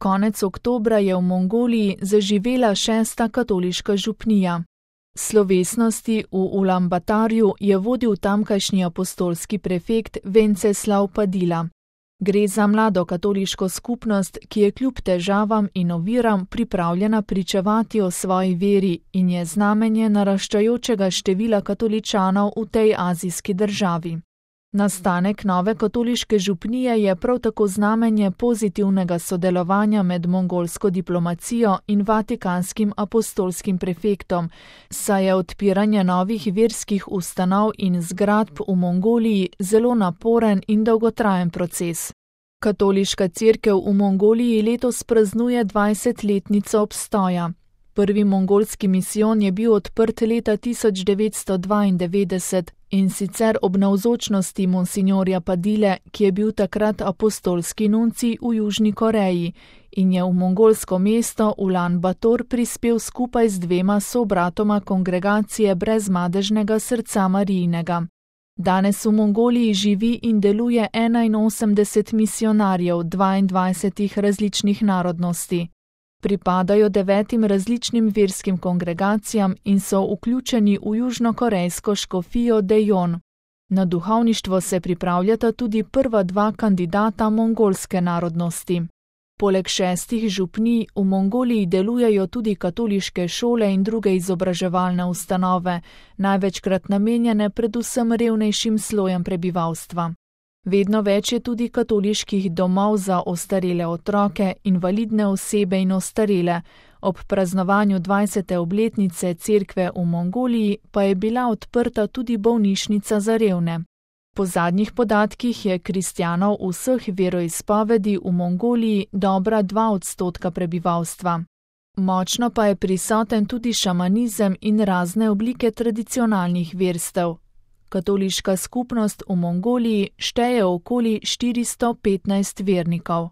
Konec oktobra je v Mongoliji zaživela 6. katoliška župnija. Slovesnosti v Ulanbatorju je vodil tamkajšnji apostolski prefekt Venceslav Padila. Gre za mlado katoliško skupnost, ki je kljub težavam in oviram pripravljena pričevati o svoji veri in je znamenje naraščajočega števila katoličanov v tej azijski državi. Nastanek nove katoliške župnije je prav tako znamenje pozitivnega sodelovanja med mongolsko diplomacijo in vatikanskim apostolskim prefektom, saj je odpiranje novih verskih ustanov in zgradb v Mongoliji zelo naporen in dolgotrajen proces. Katoliška cerkev v Mongoliji letos praznuje 20-letnico obstoja. Prvi mongolski misijon je bil odprt leta 1992 in sicer ob navzočnosti monsinjorja Padile, ki je bil takrat apostolski nuncij v Južni Koreji in je v mongolsko mesto Ulanbator prispel skupaj z 2 sobratoma kongregacije Brezmadežnega srca Marijinega. Danes v Mongoliji živi in deluje 81 misionarjev 22 različnih narodnosti. Pripadajo 9 različnim verskim kongregacijam in so vključeni v južnokorejsko škofijo Daejeon. Na duhovništvo se pripravljata tudi prva 2 kandidata mongolske narodnosti. Poleg 6 župnij v Mongoliji delujejo tudi katoliške šole in druge izobraževalne ustanove, največkrat namenjene predvsem revnejšim slojem prebivalstva. Vedno več je tudi katoliških domov za ostarele otroke, invalidne osebe in ostarele. Ob praznovanju 20. obletnice cerkve v Mongoliji pa je bila odprta tudi bolnišnica za revne. Po zadnjih podatkih je kristjanov vseh veroizpovedi v Mongoliji dobra 2% prebivalstva. Močno pa je prisoten tudi šamanizem in razne oblike tradicionalnih verstev. Katoliška skupnost v Mongoliji šteje okoli 415 vernikov.